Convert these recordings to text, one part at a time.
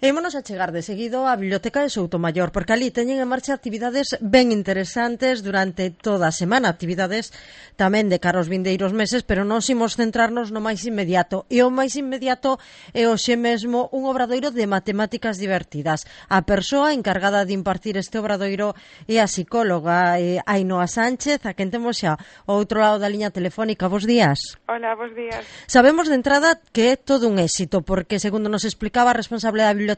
Ímonos a chegar de seguido á Biblioteca de Soutomaior, porque ali teñen en marcha actividades ben interesantes durante toda a semana, actividades tamén de cara aos vindeiros meses, pero nós imos centrarnos no máis inmediato. E o máis inmediato é hoxe mesmo un obradoiro de matemáticas divertidas. A persoa encargada de impartir este obradoiro é a psicóloga Ainhoa Sánchez, a quen temos xa ao outro lado da liña telefónica. Bos días. Hola, bos días. Sabemos de entrada que é todo un éxito, porque segundo nos explicaba a responsable da biblioteca,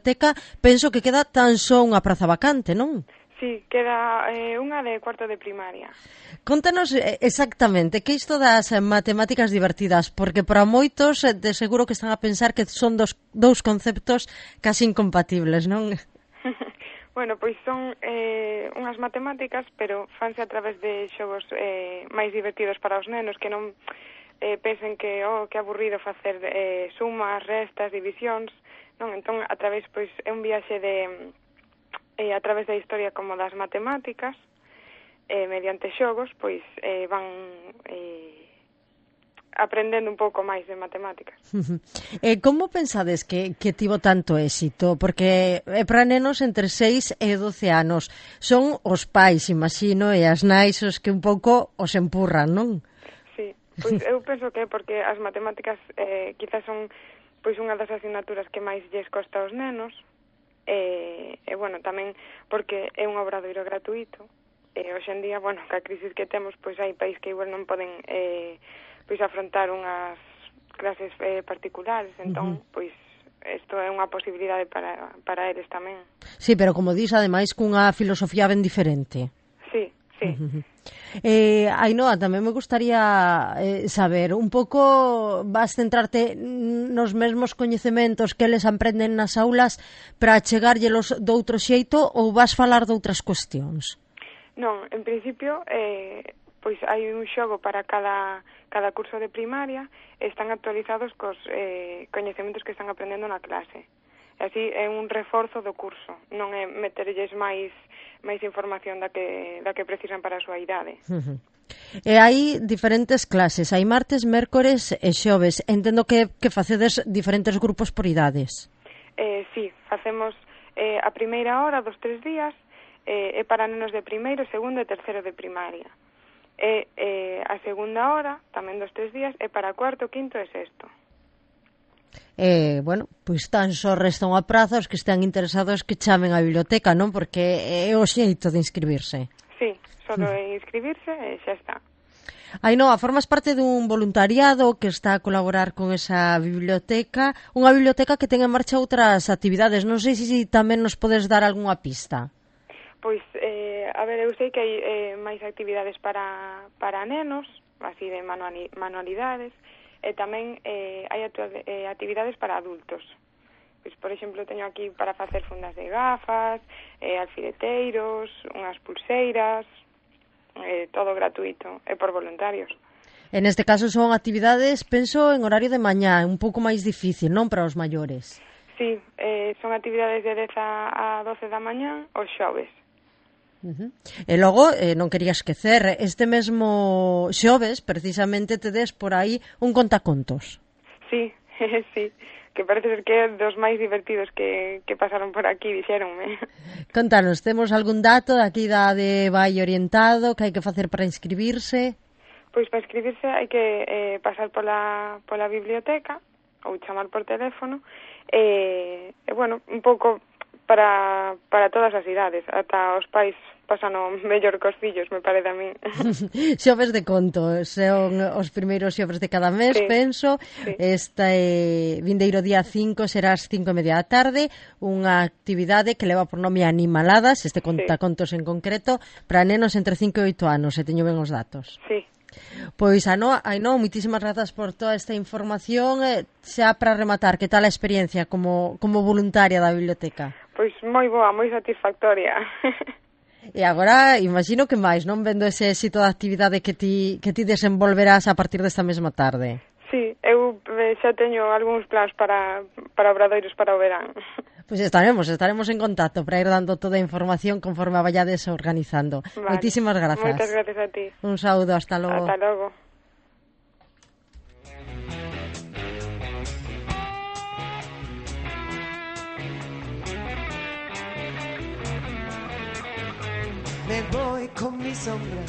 penso que queda tan só unha praza vacante, non? Sí, queda unha de cuarto de primaria. Contanos exactamente que isto das matemáticas divertidas, porque para moitos de seguro que están a pensar que son dous conceptos casi incompatibles, non? Bueno, pois son unhas matemáticas, pero fanse a través de xogos máis divertidos para os nenos, que non pensen que aburrido facer sumas, restas, divisións, non? Entón, a través, pois, é un viaxe a través da historia como das matemáticas, mediante xogos, pois, van aprendendo un pouco máis de matemáticas. Como pensades que tivo tanto éxito? Porque é para nenos entre 6 e 12 anos. Son os pais, imagino, e as nais os que un pouco os empurran, non? Sí, pois eu penso que é porque as matemáticas quizás son pois unha das asignaturas que máis lles costa aos nenos, e bueno, tamén porque é un obradoiro gratuito, e hoxe en día, bueno, ca crisis que temos, pois hai país que igual non poden pois afrontar unhas clases particulares, entón, pois isto é unha posibilidade para eles tamén. Sí, pero como dis, ademais, cunha filosofía ben diferente. Sí, sí. Ainhoa, tamén me gustaría saber un pouco, vas centrarte nos mesmos coñecementos que eles aprenden nas aulas para chegárllelos doutro xeito ou vas falar de outras cuestións? Non, en principio pois hai un xogo para cada curso de primaria e están actualizados cos coñecementos que están aprendendo na clase. E así é un reforzo do curso, non é meterlles máis información da que precisan para a súa idade. E hai diferentes clases, hai martes, mércores e xoves. Entendo que facedes diferentes grupos por idades. Sí, facemos a primeira hora dos 3 días, é para nenos de primeiro, segundo e terceiro de primaria. E a segunda hora, tamén dos 3 días, é para cuarto, quinto e sexto. Bueno, pois tan só resta unha praza os que están interesados que chamen á biblioteca, non? Porque é o xeito de inscribirse. Sí, solo é inscribirse e xa está. Ainhoa, formas parte dun voluntariado que está a colaborar con esa biblioteca, unha biblioteca que ten en marcha outras actividades. Non sei se tamén nos podes dar algunha pista. Pois, a ver, eu sei que hai máis actividades para nenos, así de manualidades, e tamén hai actividades para adultos. Pois, por exemplo, teño aquí para facer fundas de gafas, alfileteiros, unhas pulseiras, todo gratuito, e por voluntarios. En este caso son actividades, penso, en horario de mañá, un pouco máis difícil, non, para os maiores? Sí, son actividades de 10 a 12 da mañá os xoves. E logo, non quería esquecer, este mesmo xoves, precisamente, tedes por aí un contacontos. Sí, sí, que parece ser que é dos máis divertidos que pasaron por aquí, dixéronme. Contanos, temos algún dato aquí da de vai orientado que hai que facer para inscribirse? Pois para inscribirse hai que pasar pola biblioteca ou chamar por teléfono e bueno, un pouco para todas as idades, ata os pais pasan o mellor cos fillos, me parece a min. Xoves de conto, son os primeiros xoves de cada mes, sí, penso. Sí. Este vindeiro día 5 será ás 5:30 da tarde, unha actividade que leva por nome Animaladas, este contacontos en concreto, para nenos entre 5 e 8 anos, se teño ben os datos. Sí. Pois, Ainhoa, moitísimas grazas por toda esta información. Xa para rematar, que tal a experiencia como voluntaria da biblioteca? Pois moi boa, moi satisfactoria. E agora, imagino que máis, non, vendo ese éxito da actividade que ti desenvolverás a partir desta mesma tarde. Sí, eu xa teño algúns plans para obradoiros para o verán. Pois estaremos en contacto para ir dando toda a información conforme a vayades organizando. Vale. Moitísimas grazas. Moitas gracias a ti. Un saúdo, hasta logo. Hasta logo. me voy con mi sombra